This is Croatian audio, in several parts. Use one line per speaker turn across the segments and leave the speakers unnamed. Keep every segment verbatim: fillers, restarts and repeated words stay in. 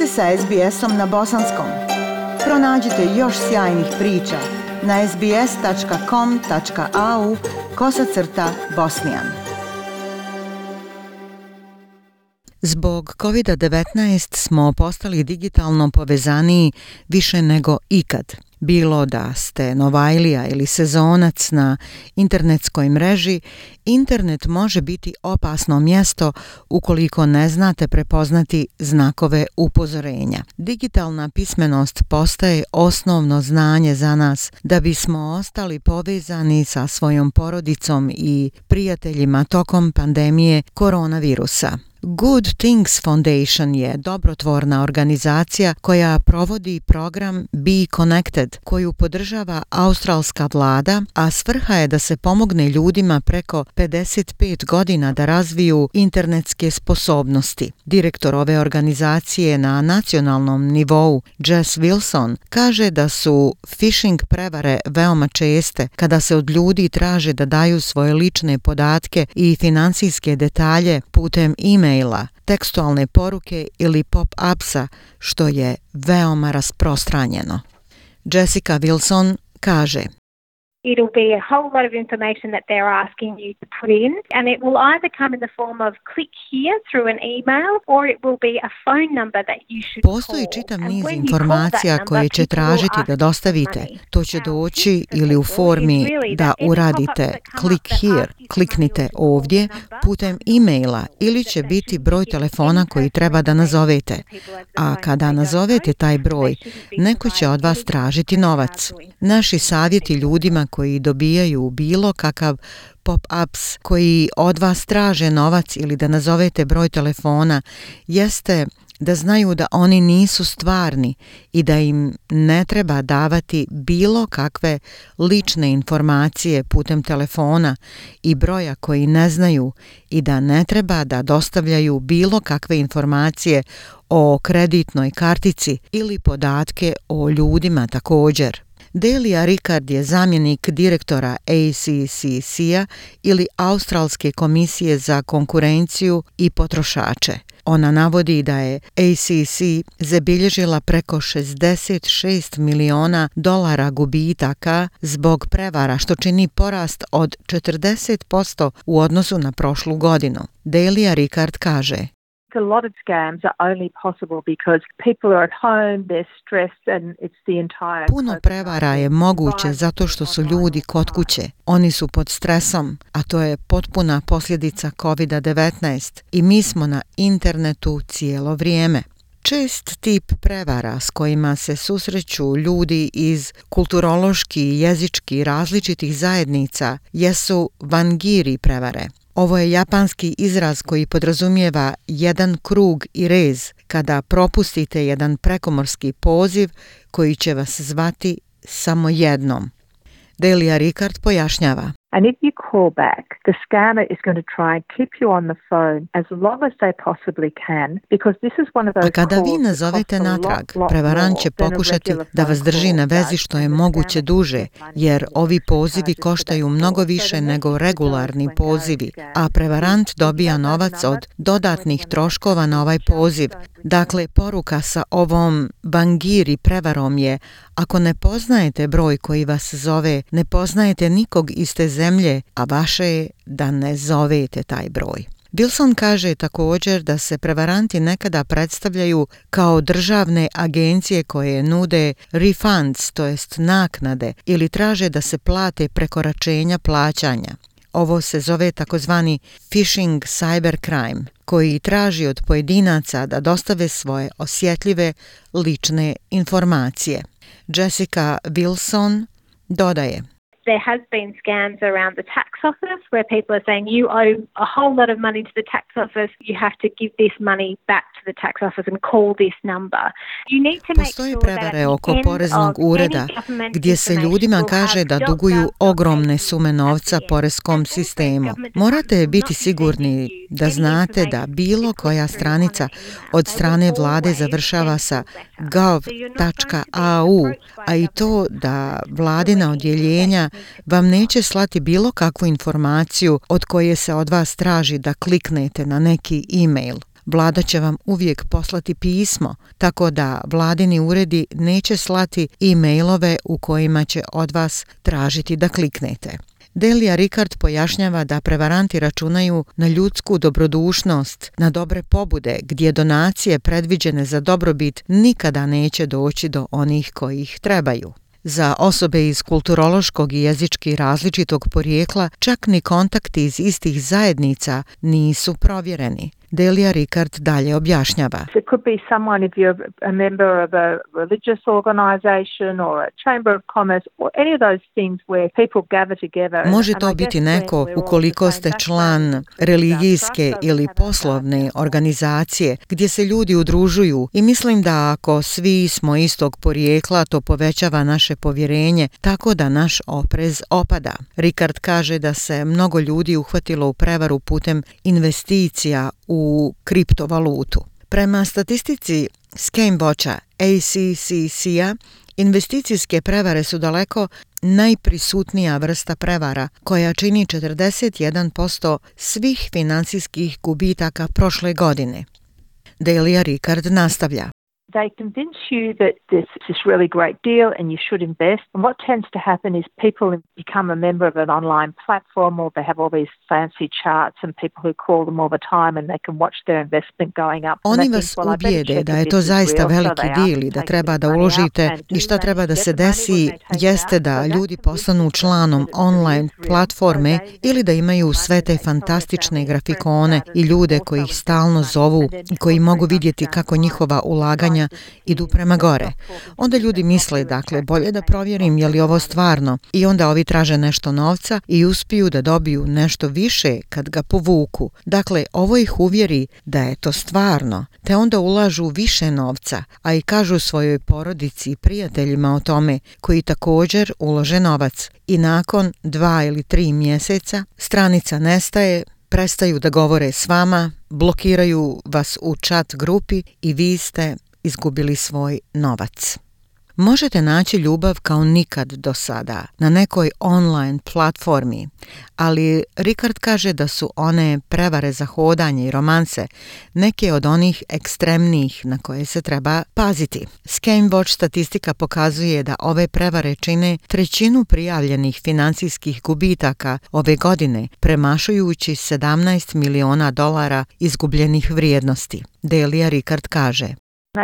ste sa S B S-om na bosanskom. Pronađite još sjajnih priča na sbs.com.au kosacrta bosnijan. Zbog kovid devetnaest smo postali digitalno povezaniji više nego ikad. Bilo da ste novajlija ili sezonac na internetskoj mreži, internet može biti opasno mjesto ukoliko ne znate prepoznati znakove upozorenja. Digitalna pismenost postaje osnovno znanje za nas da bismo ostali povezani sa svojom porodicom i prijateljima tokom pandemije koronavirusa. Good Things Foundation je dobrotvorna organizacija koja provodi program Be Connected, koju podržava australska vlada, a svrha je da se pomogne ljudima preko pedeset pet godina da razviju internetske sposobnosti. Direktor ove organizacije na nacionalnom nivou, Jess Wilson, kaže da su phishing prevare veoma česte kada se od ljudi traže da daju svoje lične podatke i financijske detalje putem e-maila, tekstualne poruke ili pop-upsa, što je veoma rasprostranjeno. Jessica Wilson kaže:
It'll be a whole lot of information that they're asking you to put in, and it will either come in the form of click here through an email, or it will be a phone number that you should call.
Postoji čitav niz informacija koje će tražiti da dostavite. To će doći ili u formi da uradite click here, kliknite ovdje, putem e-maila, ili će biti broj telefona koji treba da nazovete. A kada nazovete taj broj, neko će od vas tražiti novac. Naši savjeti ljudima koji dobijaju bilo kakav pop-ups koji od vas traže novac ili da nazovete broj telefona jeste da znaju da oni nisu stvarni i da im ne treba davati bilo kakve lične informacije putem telefona i broja koji ne znaju i da ne treba da dostavljaju bilo kakve informacije o kreditnoj kartici ili podatke o ljudima također. Delia Ricard je zamjenik direktora A C C C-a ili Australske komisije za konkurenciju i potrošače. Ona navodi da je A C C zabilježila preko šezdeset šest miliona dolara gubitaka zbog prevara, što čini porast od četrdeset posto u odnosu na prošlu godinu. Delia Ricard kaže:
A lot of scams are only possible because people are at home, they're stressed and it's the entire...
Puno prevara je moguće zato što su ljudi kod kuće. Oni su pod stresom, a to je potpuna posljedica kovid devetnaest i mi smo na internetu cijelo vrijeme. Čest tip prevara s kojima se susreću ljudi iz kulturološki i jezički različitih zajednica jesu wangiri prevare. Ovo je japanski izraz koji podrazumijeva jedan krug i rez kada propustite jedan prekomorski poziv koji će vas zvati samo jednom. Delia Ricard pojašnjava:
And if you call back, the scammer is going to try and keep you on the phone as long as they possibly can, because this is one of those.
A kada vi nazovete natrag, prevarant će pokušati da vas drži na vezi što je moguće duže, jer ovi pozivi koštaju mnogo više nego regularni pozivi, a prevarant dobija novac od dodatnih troškova na ovaj poziv. Dakle, poruka sa ovom wangiri prevarom je: ako ne poznajete broj koji vas zove, ne poznajete nikog iz te zemlje, a vaše je da ne zovete taj broj. Wilson kaže također da se prevaranti nekada predstavljaju kao državne agencije koje nude refunds, to jest naknade, ili traže da se plate prekoračenja plaćanja. Ovo se zove takozvani phishing cybercrime, koji traži od pojedinaca da dostave svoje osjetljive lične informacije. Jessica Wilson dodaje:
There has been scams around the tax office where people are saying you owe a whole lot of money to the tax office, you have to give this money back to the tax office and call this number. You need to make
Postoje prevare oko poreznog ureda gdje se ljudima kaže da duguju ogromne sume novca poreskom sistemu. Morate biti sigurni da znate da bilo koja stranica od strane vlade završava sa gov tačka a u, a i to da vladina odjeljenja vam neće slati bilo kakvu informaciju od koje se od vas traži da kliknete na neki e-mail. Vlada će vam uvijek poslati pismo, tako da vladini uredi neće slati e-mailove u kojima će od vas tražiti da kliknete. Delia Ricard pojašnjava da prevaranti računaju na ljudsku dobrodušnost, na dobre pobude, gdje donacije predviđene za dobrobit nikada neće doći do onih koji ih trebaju. Za osobe iz kulturološkog i jezički različitog porijekla čak ni kontakti iz istih zajednica nisu provjereni. Delia Ricard dalje objašnjava.
It could be someone if you're a member of a religious organization or a chamber of commerce or any of those things where people gather together.
Može to biti neko ukoliko ste član religijske ili poslovne organizacije gdje se ljudi udružuju i mislim da ako svi smo istog porijekla to povećava naše povjerenje tako da naš oprez opada. Ricard kaže da se mnogo ljudi uhvatilo u prevaru putem investicija u kriptovalutu. Prema statistici ScamWatcha A C C C-a, investicijske prevare su daleko najprisutnija vrsta prevara koja čini četrdeset jedan posto svih financijskih gubitaka prošle godine. Delia Ricard nastavlja.
They convince you that this is this really great deal and you should invest. And what tends to happen is people become a member of an online platform or they have all these fancy charts and people who call them all the time and they can watch their investment going up.
Oni vas ubijede da je to zaista veliki deal i da treba da uložite i šta treba da se desi jeste da ljudi postanu članom online platforme ili da imaju sve te fantastične grafikone i ljude koji ih stalno zovu i koji mogu vidjeti kako njihova ulaganja idu prema gore. Onda ljudi misle, dakle, bolje da provjerim je li ovo stvarno i onda ovi traže nešto novca i uspiju da dobiju nešto više kad ga povuku. Dakle, ovo ih uvjeri da je to stvarno, te onda ulažu više novca, a i kažu svojoj porodici i prijateljima o tome koji također ulože novac. I nakon dva ili tri mjeseca stranica nestaje, prestaju da govore s vama, blokiraju vas u chat grupi i vi ste izgubili svoj novac. Možete naći ljubav kao nikad do sada na nekoj online platformi, ali Ricard kaže da su one prevare za hodanje i romanse neke od onih ekstremnijih na koje se treba paziti. ScamWatch statistika pokazuje da ove prevare čine trećinu prijavljenih financijskih gubitaka ove godine, premašujući sedamnaest miliona dolara izgubljenih vrijednosti. Delia Ricard kaže.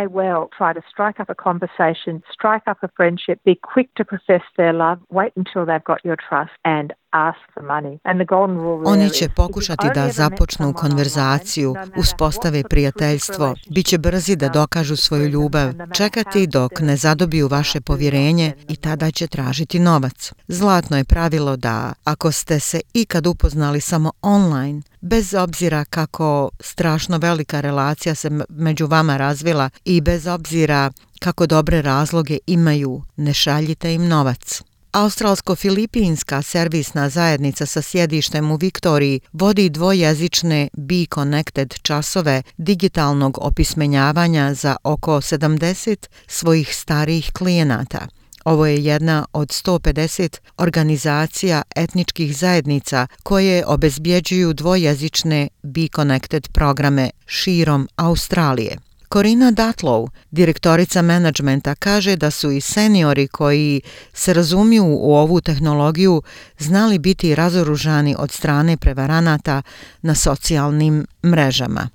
May well try to strike up a conversation, strike up a friendship, be quick to profess their love, wait until they've got your trust and ask for money. And the golden rule
Oni će pokušati da započnu konverzaciju, uspostave prijateljstvo, bit će brzi da dokažu svoju ljubav, čekati dok ne zadobiju vaše povjerenje i tada će tražiti novac. Zlatno je pravilo da ako ste se ikad upoznali samo online, bez obzira kako strašno velika relacija se među vama razvila i bez obzira kako dobre razloge imaju, ne šaljite im novac. Australsko-filipinska servisna zajednica sa sjedištem u Viktoriji vodi dvojezične Be Connected časove digitalnog opismenjavanja za oko sedamdeset svojih starijih klijenata. Ovo je jedna od sto pedeset organizacija etničkih zajednica koje obezbjeđuju dvojezične Be Connected programe širom Australije. Corina Datlow, direktorica menadžmenta, kaže da su i seniori koji se razumiju u ovu tehnologiju znali biti razoružani od strane prevaranata na socijalnim mrežama.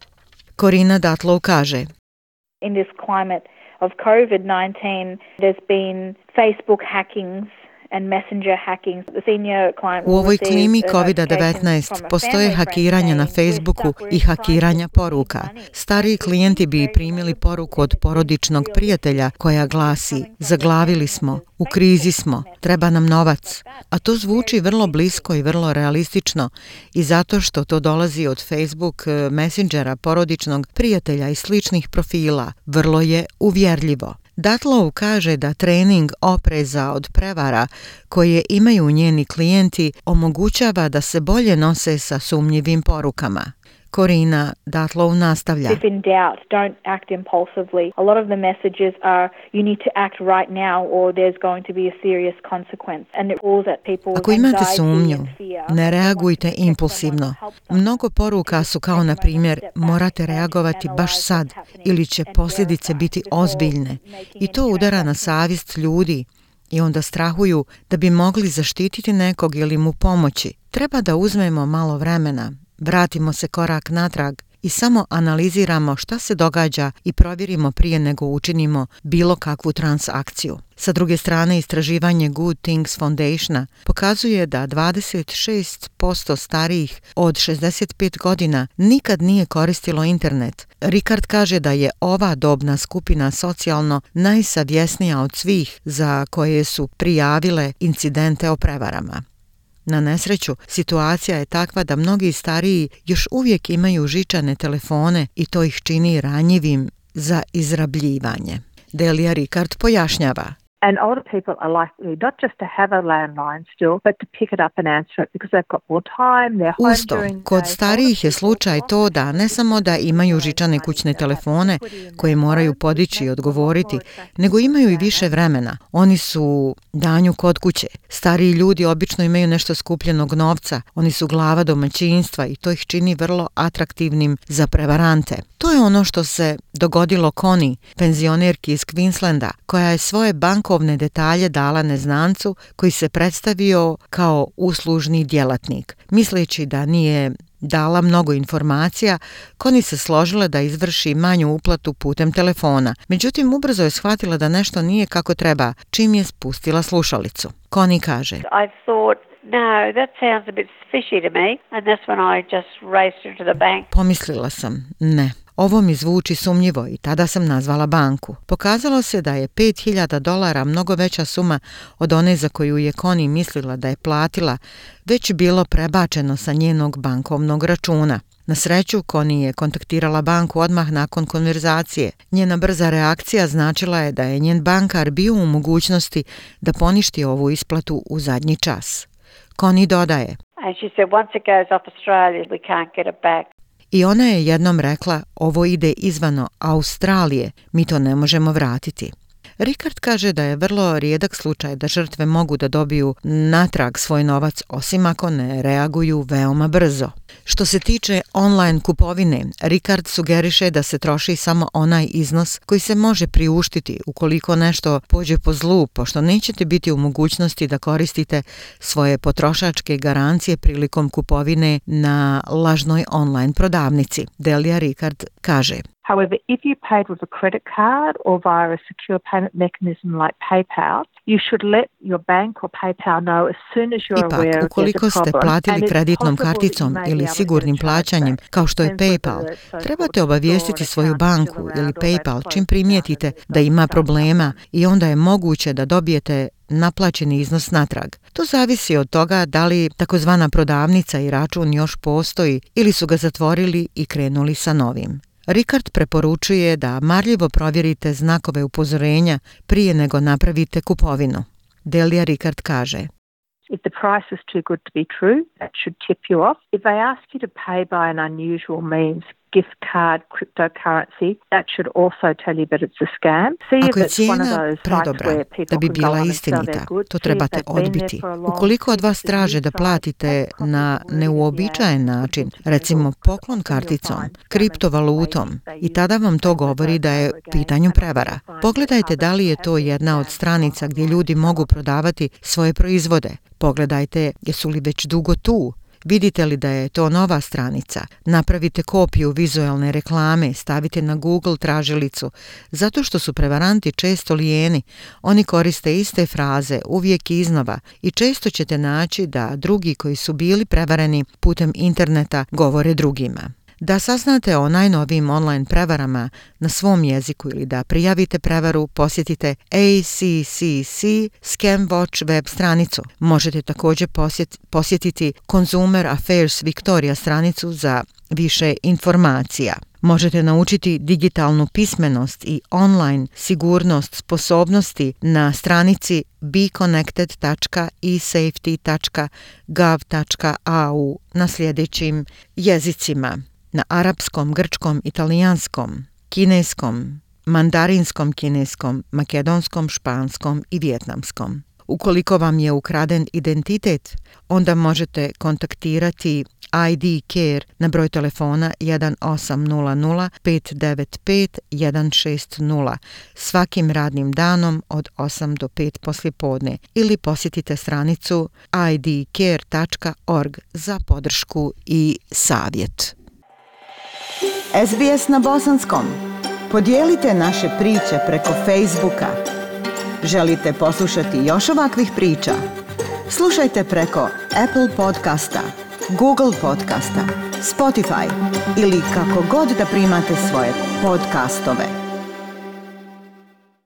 Corina Datlow kaže:
In this climate of COVID nineteen, there's been Facebook hackings and messenger hacking. The senior client
U ovoj klimi kovid devetnaest postoje hakiranja na Facebooku i hakiranja poruka. Stariji klijenti bi primili poruku od porodičnog prijatelja koja glasi: zaglavili smo, u krizi smo, treba nam novac. A to zvuči vrlo blisko i vrlo realistično i zato što to dolazi od Facebook messengera, porodičnog prijatelja i sličnih profila, vrlo je uvjerljivo. Datlow kaže da trening opreza od prevara koje imaju njeni klijenti omogućava da se bolje nose sa sumnjivim porukama. Corina Datlov nastavlja.
If in doubt, don't act impulsively. A lot of the messages are you need to act right now or there's going to be a serious consequence. And it pulls at people's
Ako imate
anxiety
sumnju,
and fear.
ne reagujte impulsivno. Mnogo poruka su kao na primjer morate reagovati baš sad ili će posljedice biti ozbiljne. I to udara na savjest ljudi i onda strahuju da bi mogli zaštititi nekog ili mu pomoći. Treba da uzmemo malo vremena, vratimo se korak natrag i samo analiziramo šta se događa i provjerimo prije nego učinimo bilo kakvu transakciju. Sa druge strane, istraživanje Good Things Foundationa pokazuje da dvadeset šest posto starijih od šezdeset pet godina nikad nije koristilo internet. Rikard kaže da je ova dobna skupina socijalno najsavjesnija od svih za koje su prijavile incidente o prevarama. Na nesreću, situacija je takva da mnogi stariji još uvijek imaju žičane telefone i to ih čini ranjivim za izrabljivanje. Delia Rikard pojašnjava.
And older people are likely not just to have a landline still, but to pick it up and answer it because they've got more time, they're home
Usto,
during the
kod
day.
starijih je slučaj to da ne samo da imaju žičane kućne telefone koje moraju podići i odgovoriti, nego imaju i više vremena. Oni su danju kod kuće. Stariji ljudi obično imaju nešto skupljenog novca, oni su glava domaćinstva i to ih čini vrlo atraktivnim za prevarante. To je ono što se dogodilo Connie, penzionerki iz Queenslanda, koja je svoje bankovne detalje dala neznancu koji se predstavio kao uslužni djelatnik. Misleći da nije dala mnogo informacija, Connie se složila da izvrši manju uplatu putem telefona. Međutim, ubrzo je shvatila da nešto nije kako treba, čim je spustila slušalicu. Connie kaže:
I thought, no, that sounds a bit fishy to me, and that's when I just raced into the bank.
Pomislila sam, ne. Ovo mi zvuči sumnjivo i tada sam nazvala banku. Pokazalo se da je pet hiljada dolara mnogo veća suma od one za koju je Connie mislila da je platila, već bilo prebačeno sa njenog bankovnog računa. Na sreću, Connie je kontaktirala banku odmah nakon konverzacije. Njena brza reakcija značila je da je njen bankar bio u mogućnosti da poništi ovu isplatu u zadnji čas. Connie dodaje:
And she said, once it goes off Australia, we can't get it back.
I ona je jednom rekla, ovo ide izvano Australije, mi to ne možemo vratiti. Rikard kaže da je vrlo rijedak slučaj da žrtve mogu da dobiju natrag svoj novac, osim ako ne reaguju veoma brzo. Što se tiče online kupovine, Rikard sugeriše da se troši samo onaj iznos koji se može priuštiti ukoliko nešto pođe po zlu, pošto nećete biti u mogućnosti da koristite svoje potrošačke garancije prilikom kupovine na lažnoj online prodavnici. Delia Rikard kaže:
However, if you paid with a credit card or via a secure payment mechanism like PayPal, you should let your bank or PayPal know as soon as you're aware
Ipak,
of
ukoliko
there's a
ste
problem.
platili kreditnom karticom ili sigurnim plaćanjem, kao što je PayPal, trebate obavijestiti svoju banku ili PayPal čim primijetite da ima problema i onda je moguće da dobijete naplaćeni iznos natrag. To zavisi od toga da li takozvana prodavnica i račun još postoji ili su ga zatvorili i krenuli sa novim. Rikard preporučuje da marljivo provjerite znakove upozorenja prije nego napravite kupovinu. Delia Rikard kaže:
If the price is too good to be true, that should tip you off. If they ask you to pay by an unusual means, gift card, cryptocurrency, that should also tell you that it's a scam. See
Ako
if
je
it's one of
cijena
those sites
predobra
where people
da bi
can go
bila
on and sell
istinita,
their goods.
to
See if
trebate
they've been there
odbiti.
for a long
Ukoliko od vas
time.
traže da platite na neuobičajen način, recimo poklon karticom, kriptovalutom, i tada vam to govori da je u pitanju prevara. Pogledajte da li je to jedna od stranica gdje ljudi mogu prodavati svoje proizvode. Pogledajte jesu li već dugo tu. Vidite li da je to nova stranica? Napravite kopiju vizualne reklame, stavite na Google tražilicu. Zato što su prevaranti često lijeni, oni koriste iste fraze uvijek iznova i često ćete naći da drugi koji su bili prevareni putem interneta govore drugima. Da saznate o najnovijim online prevarama na svom jeziku ili da prijavite prevaru, posjetite A C C C Scam Watch web stranicu. Možete također posjet, posjetiti Consumer Affairs Victoria stranicu za više informacija. Možete naučiti digitalnu pismenost i online sigurnost sposobnosti na stranici be connected dot e safety dot gov dot a u na sljedećim jezicima: na arapskom, grčkom, italijanskom, kineskom, mandarinskom kineskom, makedonskom, španskom i vijetnamskom. Ukoliko vam je ukraden identitet, onda možete kontaktirati I D Care na broj telefona jedan osam nula nula pet devet pet jedan šest nula svakim radnim danom od osam do pet poslijepodne ili posjetite stranicu i d care tačka org za podršku i savjet.
S B S na bosanskom. Podijelite naše priče preko Facebooka. Želite poslušati još ovakvih priča? Slušajte preko Apple podcasta, Google podcasta, Spotify ili kako god da primate svoje podcastove.